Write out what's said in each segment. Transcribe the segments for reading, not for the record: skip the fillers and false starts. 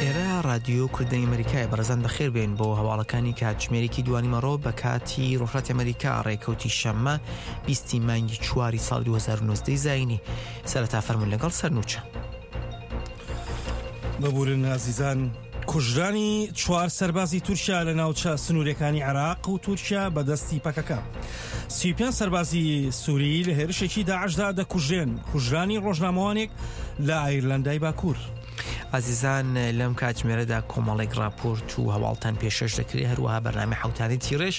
ئێرە ڕادیۆ کوردەنگی ئەمەریکایە بەڕێزان بەخێر بێن بۆ هەواڵەکانی کاتژمێرێکی دوانیمەڕۆ بە کاتی ڕۆژهەڵاتی ئەمەریکا ڕێکەوتی شەممە بیستی مانگی چواری ساڵ 2019 زایینی سەرەتا فەرموون لەگەڵ سەرنوچە. ببورن ئازیزان کوژرانی چوار سەربازی تورکیا لە ناوچە سنوورەکانی عێراق و تورکیا بە دەستی پەکەکە. 35 سەربازی سووری لە هێرشێکی داعشدا دەکوژرێن کوژرانی ڕۆژنامەوانێک لە ئایرلەندای باکوور. ئازیزان لەم کاتژمێرەدا کۆمەڵێک راپۆرت و هەواڵتان پێشەش دەکرێت هەروەها بەرنامەی حوتانی تیڕێژ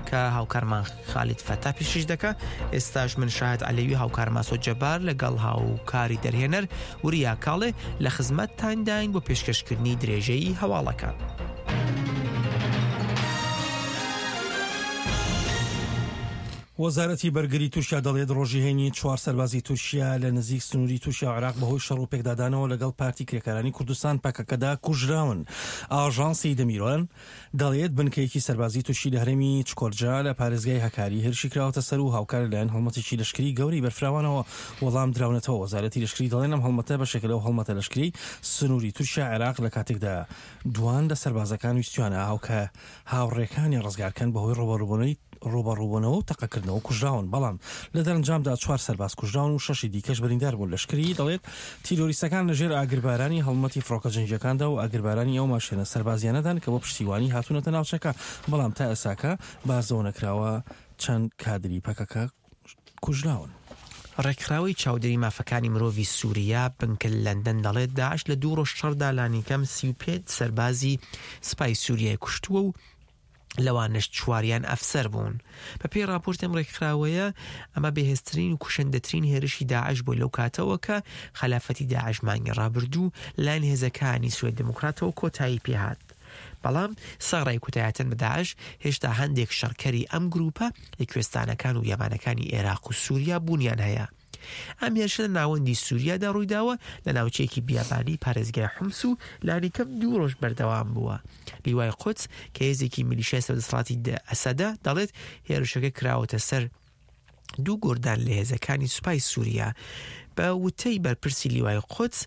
کە هاوکارمان خالید فەتا پێشش دەکا ئێستاش من شاهد عەلەوی هاوکار ماسۆ جەبار لەگەڵ هاوکاری دەرهێنەر وریا کاڵێ لە خزمەتتانداین بۆ پێشکەشکردنی درێژەی هەواڵەکان. وەزارەتی بەرگری تورکیا دەڵێت ڕۆژی هەینی چوار سەربازی تورکیا لە نزیک سنووری تورکیا و عێراق بەهۆی شەڕ و پێکدادانەوە لەگەڵ پارتی کرێکارانی کوردستان پەکەکەدا کوژراون. ئاژانسی دەمیرۆن دەڵێت بنکەیەکی سەربازی تورکی لە هەرێمی چکۆرجا لە پارێزگای هەکاری هێرشی کراوەتە سەر و هاوکار لەلایەن هەڵمەتێکی لەشکری گەورەی بەرفراوانەوە وەڵام دراونەتەوە. وەزارەتی لەشکری دەڵێن ئەم هەڵمەتە بەشێکە لەو هەڵمەتە لەشکریەی سنووری تورکیا عێراق لە کاتێکدا دوان لە سەربازەکان ویستویانە هاوکە هاوڕێکانی ڕزگارکەن بەهۆی ڕووبەڕووبوونەوەی ڕووبەڕووبوونەوە و تەقەکردنەوە کوژراون، بەڵام لە دەرەنجامدا چوار سەرباز کوژراون و شەشی دیکەش بریندار بوون. لەشکریی دەڵێت، تیرۆریستەکان لەژێر ئاگربارانی هەڵمەتی فڕۆکە جەنگییەکاندا و ئاگربارانی ئەو ماشێنە سەربازییانەدان کە بۆ پشتیوانی هاتوونەتە ناوچەکە، بەڵام تا ئێستاکە باس لەوە نەکراوە چەند کادری پەکەکە کوژراون. ڕێکخراوەی چاودێری مافەکانی مرۆڤی سوریا بنکە لە لەندەن دەڵێت داعش لە دوو ڕۆژ شەڕدا لانیکەم 35 سەربازی سوپای سوریای کوشتووە و لەوانەش چواریان ئەفسەر بوون. بەپێی ڕاپۆرتی ئەم ڕێکخراوەیە ئەمە بەهێزترین و کوشندەترین هێرشی داعش بووە لەو کاتەوە کە خەلافەتی داعش مانگی ڕابردوو لەلایەن هێزەکانی سوریای دیموکراتەوە کۆتایی پێهات. بەڵام سەڕای کوتایەتن بە داعش، هێشتا هەندێک شەڕکەری ئەم گرووپە لە کوێستانەکان و بیابانەکانی ئێراق و سووریا بوونیان هەیە. ئەم هێرشە لە ناوەندی سووریادا ڕوویداوە، لە ناوچەیەکی بیابانی پارێزگای حومس و لانیکەم دوو ڕۆژ بەردەوام بووە. لیوای قودس کە هێزێکی میلیشیای سەر دەسەڵاتی ئەسەدە، دەڵێت هێرشەکە کراوەتە سەر دوو گۆردان لە هێزەکانی سوپای سووریا. بە وتەی بەرپرسی لیوای قودس،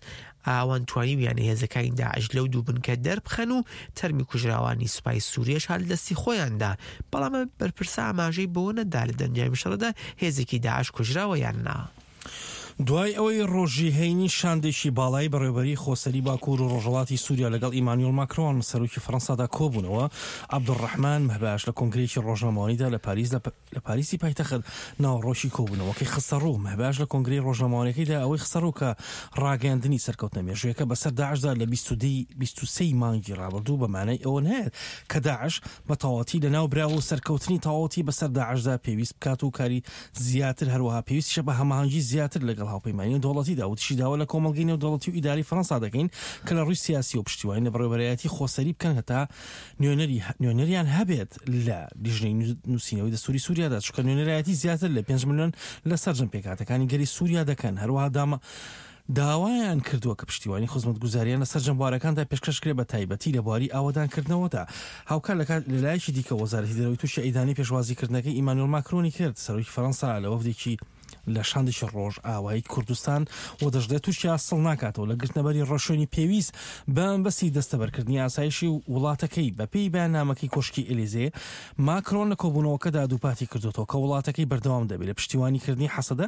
ئەوان توانیویانە هێزەکانی داعش لەو دوو بنکە دەربخەن و تەرمی کوژراوانی سوپای سووریەش هەر لە دەستی خۆیاندا، بەڵام بەرپرسە ئاماژەی بەوە نەدا لە دەنجامی شەڕەدا هێزێکی داعش کوژراوە یان نا. دوای ئەوەی ڕۆژی هەینی شاندێکی باڵای بەڕێوەبەریی خۆسەری باکوور و ڕۆژهەڵاتی سووریا لەگەڵ ئیمانیۆل ماکرۆن، سەرۆکی فەرەنسادا کۆبوونەوە، عەبدولڕەحمان مەهباش لە کۆنگرەیەکی ڕۆژنامەوانیدا لە پاریس لە لە پاریسی پایتەخت ناوەڕۆکی کۆبوونەوەکەی خستەڕوو. مەهباش لە کۆنگرەی ڕۆژنامەوانیەکەیدا ئەوەی خستەڕوو کە ڕاگەیاندنی سەرکەوتنە مێژوویەکە بەسەر داعشدا لە 23 ی مانگی ڕابردوو بە مانای ئەوە نایەت کە داعش بە تەواوەتی لەناو براوە و سەرکەوتنی تەواوەتی بەسەر داعشدا پێویست بکات و کاری زیاتر هەروەها پێویستیشە بە هەماهەنگی زیاتر لەگەڵ هاوپەیمانی نێودەوڵەتیدا وتیشی داوا لە کۆمەڵگەی نێودەوڵەتی و ئیدارەی فەرەنسا دەکەین کە لە ڕووی سیاسیەوە پشتیوانی لە بەڕێوەبەرایەتی خۆسەری بکەن هەتا نوێنەری نوێنەریان هەبێت لە لیژنەی نووسینەوەی دەستوری سووریادا چونکە نوێنەرایەتی زیاتر لە 5 ملیۆن لە سەرجەم پێکهاتەکانی گەلی سووریا دەکەن هەروەها دامە داوایان کردووە کە پشتیوانی خزمەتگوزاریان لە سەرجەم بوارەکاندا پێشکەش کرێ بە تایبەتی لە بواری ئاوەدانکردنەوەدا هاوکات لە کات لەلایەکی دیکە وەزارەتی دەرەوەی تورکیا ئیدانەی پێشوازیکردنەکەی ئیمانوێل ماکرۆنی کرد سەرۆکی فەرەنسا لە وەفدێکی لە شاندێکی ڕۆژئاوای کوردستان و دەشڵێت تورکیا سڵ ناکاتەوە لە گرتنەبەری ڕێوشوێنی پێویست بە مەبەستی دەستەبەرکردنی ئاسایشی وڵاتەکەی. بەپێی بەیاننامەکەی کۆشکی ئێلیزێ، ماکرۆن لە کۆبوونەوەکەدا دووپاتی کردووەتەوە کە وڵاتەکەی بەردەوام دەبێت لە پشتیوانیکردنی حەسەدە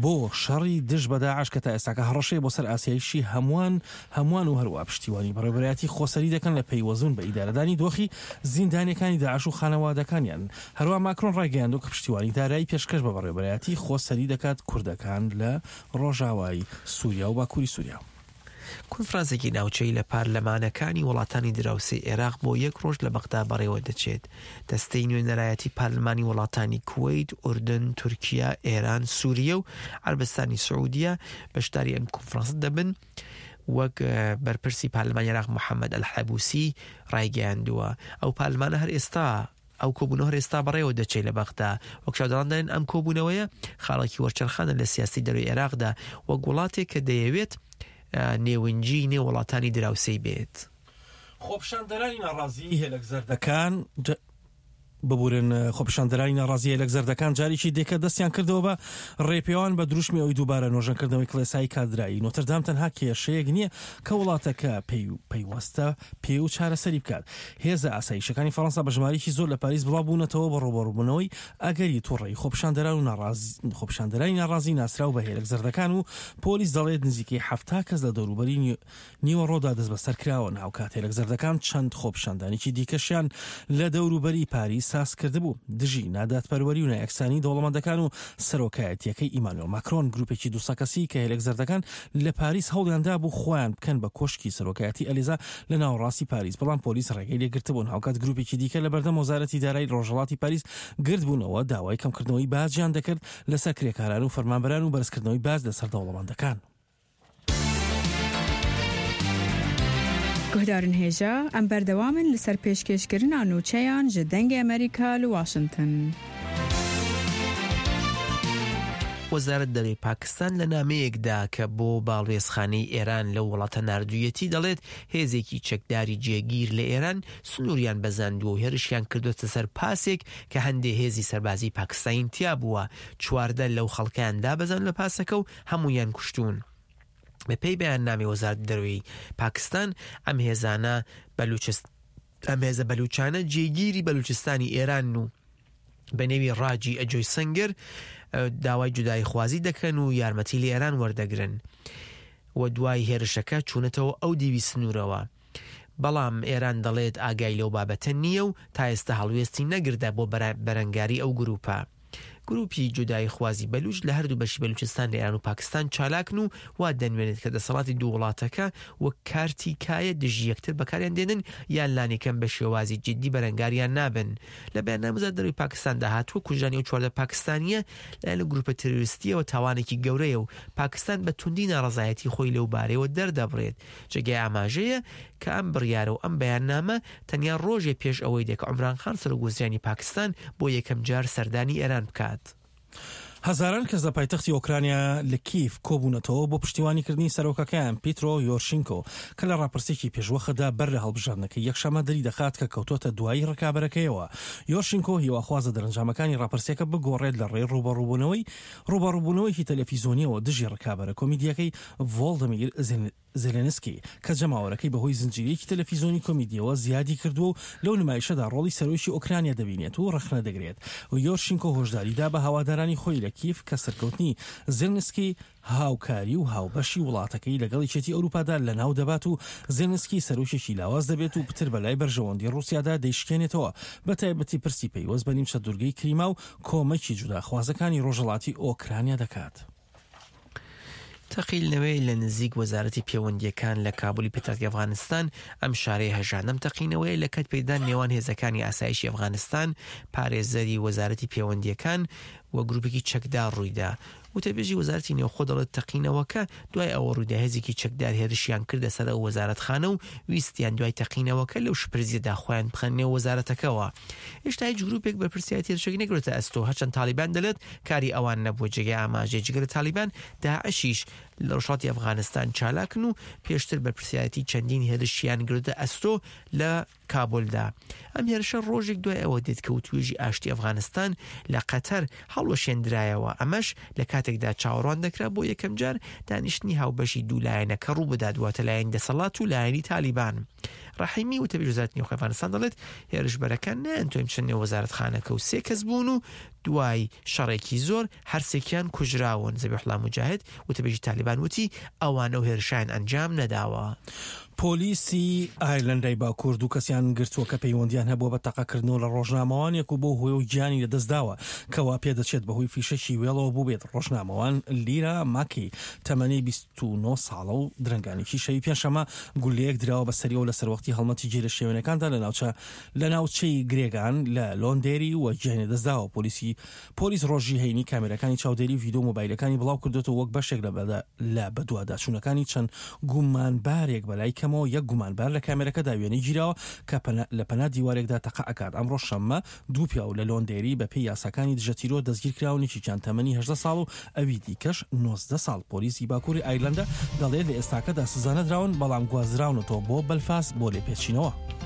بۆ شەڕی دژ بە داعش کە تا ئێستاکە هەڕەشەیە بۆ سەر ئاسایشی هەمووان هەمووان و هەروەها پشتیوانی بەڕێوەبەرایەتی خۆسەری دەکەن لە پەیوەستبوون بە ئیدارەدانی دۆخی زیندانیەکانی داعش و خانەوادەکانیان. هەروەها ماکرۆن ڕایگەیاندووە کە پشتیوانی دارایی پێشکەش بە بەڕێوەبەرایەتی خۆسەری دەکات کوردەکان لە ڕۆژاوای سوریا و باکوری سوریا. کۆنفرانسێکی ناوچەیی لە پارلەمانەکانی وڵاتانی دراوسێی عێراق بۆ یەک ڕۆژ لە بەغدا بەڕێوەدەچێت. دەستەی نوێنەرایەتی پارلمانی وڵاتانی کوەیت، ئوردن، تورکیا، ئێران، سوریە و عەرەبستانی سعودیە بەشداری ئەم کۆنفرانسە دەبن. وەک بەرپرسی پارلمانی عێراق محەمەد ئەلحەبوسی ڕایگەیاندووە، ئەو پارلمانە هەر ئێستا ئەو کۆبوونەوە هەر ئێستا بەڕێوە دەچێت لە بەغدا. وەک چاودێران دەڵێن ئەم کۆبوونەوەیە خاڵێکی وەرچەرخانە لە سیاسەتی دەرەوەی عێراقدا وەک وڵاتێک کە دەیەوێت نێونجی نێو وڵاتانی دراوسێی بێت. خۆپیشاندەرانی ناڕازیی هێلەک زەردەکان. ببورن خۆپیشاندەرانی ناڕازی هێلەک زەردەکان جارێکی دیکە دەستیان کردەوە بە ڕێپێوان بە دروشمی ئەوی دووبارە نۆژەنکردنەوەی کڵێسای کاتدرایی نۆتردام تەنها کێشەیەک نییە کە وڵاتەکە پێی پەیوەستە پێ و چارەسەری بکات. هێزە ئاسایشەکانی فەڕەنسا بە ژمارەیەکی زۆر لە پاریس بڵاو بوونەتەوە بۆ ڕووبەڕووبوونەوەی ئەگەری توڕەیی خۆپیشاندەران و خۆپیشاندەرانی ناڕازی ناسراو بە هێلەک زەردەکان و پۆلیس دەڵێت نزیکەی 70 کەس لە دەوروبەری نیوەڕۆدا دەستبەسەر کراون. هاوکات هێلەک زەردەکان چەند خۆپیشاندانێکی دیکەشیان لە دەوروبەری پاریس ساز کردبوو دژی نادادپەروەری و نایەکسانی دەوڵەمەندەکان و سەرۆکایەتییەکەی ئیمانوێل ماکرۆن. گروپێکی 200 کەسی کە هێلەک زەردەکان لە پاریس هەوڵیان دابوو خۆیان بکەن بە کۆشکی سەرۆکایەتی ئەلیزا لە ناوەڕاستی پاریس، بەڵام پۆلیس ڕێگەی لێگرتبوون. هاوکات گروپێکی دیکە لە بەردەم وەزارەتی دارایی ڕۆژهەڵاتی پاریس گردبوونەوە، داوای کەمکردنەوەی باجیان دەکرد لەسەر کرێکاران و فەرمانبەران و بەرزکردنەوەی باج لەسەر دەوڵەمەندەکان. Guhdarên hêja, em berdewam in li ser pêşkêşkirina nûçeyan ji Dengê Amerîka li Washington. وەزارەت دەرەوەی پاکستان لە نامەیەکدا کە بۆ باڵوێزخانەی ئێران لەو وڵاتە ناردوویەتی دەڵێت هێزێکی چەکداری جێگیر لە ئێران سنووریان بەزاندووە و هێرشیان کردووەتە سەر پاسێک کە هەندێ هێزی سەربازی پاکستانی تیا بووە 14 لەو خەڵکەیان دابەزاند لە پاسەکە و هەموویان کوشتوون. بەپێی بەیاننامەی وەزارەتی دەرەوەی پاکستان ئەم هێزانە بەلوچست ئەم هێزە بەلوچانە جێگیری بەلوچستانی ئێران و بە نێوی ڕاجی ئەجۆی سنگر داوای جوداییخوازی دەکەن و یارمەتی لە ئێران وەردەگرن و دوای هێرشەکە چوونەتەوە ئەو دیوی سنوورەوە. بەڵام ئێران دەڵێت ئاگای لەو بابەتە نییە و تا ئێستا هەڵوێستی نەگردە بۆ بەرەنگاری ئەو گروپە. گروپی جوداییخوازی بەلوچ لە هەردوو بەشی بەلوچستان لە ئێران و پاکستان چالاکن و وا دەنوێنێت کە دەسەڵاتی دوو وڵاتەکە وەک کارتی کایە دژی یەکتر بەکاریان دێنن یان لانیکەم بە شێوازی جیددی بەرەنگاریان نابن. لە بەیاننامەی وەزارەتی دەرەوەی پاکستاندا هاتووە کوژرانی ئەو 14 پاکستانییە لەلایەن گروپە تێرۆریستییەوە تاوانێکی گەورەیە و پاکستان بە توندی ناڕەزایەتی خۆی لەو بارەیەوە دەردەبڕێت. جێگای ئاماژەیە کە ئەم بڕیارە و ئەم بەیاننامە تەنیا ڕۆژێ پێش ئەوەی دێ کە عومران خان سەرۆک وەزیرانی پاکستان بۆ یەکەم جار سەردانی ئێران بکات. هەزاران کەس لە پایتەختی ئۆکرانیا لە کییڤ کۆبوونەتەوە بۆ پشتیوانیکردنی سەرۆکەکەیان پیترۆ یۆرشینکۆ کە لە ڕاپرسییەکی پێشوەختدا بەر لە هەڵبژاردنەکەی یەکشەممە دەریدەخات کە کەوتووەتە دوایی ڕکابەرەکەیەوە. یۆرشینکۆ هیواخوازە دەرەنجامەکانی ڕاپرسییەکە بگۆڕێت لە ڕێی ڕووبەڕووبوونەوەی ڕووبەڕووبوونەوەیەکی تەلەفیزۆنییەوە دژی ڕکابەرە کۆمیدییەکەی ڤۆڵدمیر زێلێنسکی، کە جەماوەرەکەی بەهۆی زنجیرەیەکی تەلەفیزۆنی کۆمیدییەوە زیادی کردووە و لەو نمایشەدا ڕۆڵی سەرۆکی ئۆکرانیا دەبینێت و ڕەخنە دەگرێت. یۆرشینکۆ هۆشداری دا بە هەوادارانی خۆی لە کیف کە سەرکەوتنی زێلنسکی هاوکاری و هاوبەشی وڵاتەکەی لەگەڵ یەکێتی ئەوروپادا لەناو دەبات و زێلنسکی سەرۆکێکی لاواز دەبێت و پتر بەلای بەرژەوەندی ڕووسیادا دەیشکێنێتەوە، بەتایبەتی پرسی پەیوەست بە نیمچە دوورگەی کریما و کۆمەکی جوداخوازەکانی ڕۆژهەڵاتی ئۆکرانیا دەکات. تەقینەوەی لە نزیک وەزارەتی پەیوەندییەکان لە کابولی پێتەختی ئەفغانستان ئەم شارەی هەژاند. ئەم تەقینەوەیە لە کەت پێکدان نێوان هێزەکانی ئاسایشی ئەفغانستان، پارێزەری وەزارەتی پەیوەندییەکان و گروپێکی چەکدار ڕوویدا. وتەبێژی وەزارەتی نێوخۆ دەڵێت تەقینەوەکە دوای ئەوە ڕوویدا هێزێکی چەکدار هێرشیان کردە سەر ئەو وەزارەتخانە و ویستیان دوای تەقینەوەکە لەو شپرزیەدا خۆیان بخەنە نێو وەزارەتەکەوە. هێشتا هیچ گروپێک بەرپرسیارێتی هێرشەکەی نەگرتە ئەستۆ، هەرچەند تاڵیبان دەڵێت کاری ئەوان نەبووە. جێگای ئاماژەیە جگە لە تاڵیبان، داعشیش لە ڕۆژهەڵاتی ئەفغانستان چالاکن و پێشتر بەرپرسیارێتی چەندین هێرشیان گرتە ئەستۆ لە کابولدا. ئەم هێرشە ڕۆژێک دوای ئەوە دێت کە وتوێژی ئاشتی ئەفغانستان لە قەتەر هەڵوەشێندرایەوە، ئەمەش لە کاتێکدا چاوەڕوان دەکرا بۆ یەکەمجار دانیشتنی هاوبەشی دوو لایەنەکە ڕووبدات، واتە لایەنی دەسەڵات و لایەنی تالیبان. ڕەحیمی وتەبێژی وەزارەتی نێوخۆی ئەفغانستان دەڵێت، هێرشبەرەکان نەیانتوانی بچنە نێو وەزارەتخانەکە و سێ کەس بوون و دوای شەڕێکی زۆر هەرسێکیان کوژراون. زەبیحوڵا موجاهد، وتەبێژی تالیبان وتی، ئەوان ئەو هێرشەیان ئەنجام نەداوە. پۆلیسی ئایرلەندای باکوور دوو کەسیان گرتووە کە پەیوەندیان هەبووە بە تەقەکردنەوە لە ڕۆژنامەوانێک و بەو هۆیەوە گیانی لەدەستداوە کە وا پێدەچێت بەهۆی فیشەکی وێڵەوە بووبێت. ڕۆژنامەوان لیرا ماکی تەمەنی 29 ساڵە و درەنگانێکی شەوی پێنجشەممە گوللەیەک دراوە بە سەریەوە لە سەروەختی هەڵمەتی گیرەشێوێنەکاندا لە ناوچە لە ناوچەی گرێگان لە لۆندێری و گیانی لەدەستداوە. پۆلیسی پۆلیس ڕۆژی هەینی کامێراکانی چاودێری و ڤیدیۆ مۆبایلەکانی بڵاوکردۆتەوە وەک بەشێک لە لە بەدواداچوونەکانی چەند گومانبارێک بەلای کەمەوە یەک گومانبار لە کامێرەکەدا وێنەی گیراوە کە لە پەنا دیوارێکدا تەقە ئەکات ئەمڕۆ شەممە دوو پیاو لە لۆندێری بەپێی یاساکانی دژە تیرۆر دەستگیرکراون یەکێکیان تەمەنی 18 ساڵ و ئەوی دیکەش 19 ساڵ پۆلیسی باکووری ئایرلەندا دەڵێت لە ئێستاکەدا سزا نەدراون بەڵام گوازراونەتەوە بۆ بەلفاست بۆ لێپێچینەوە.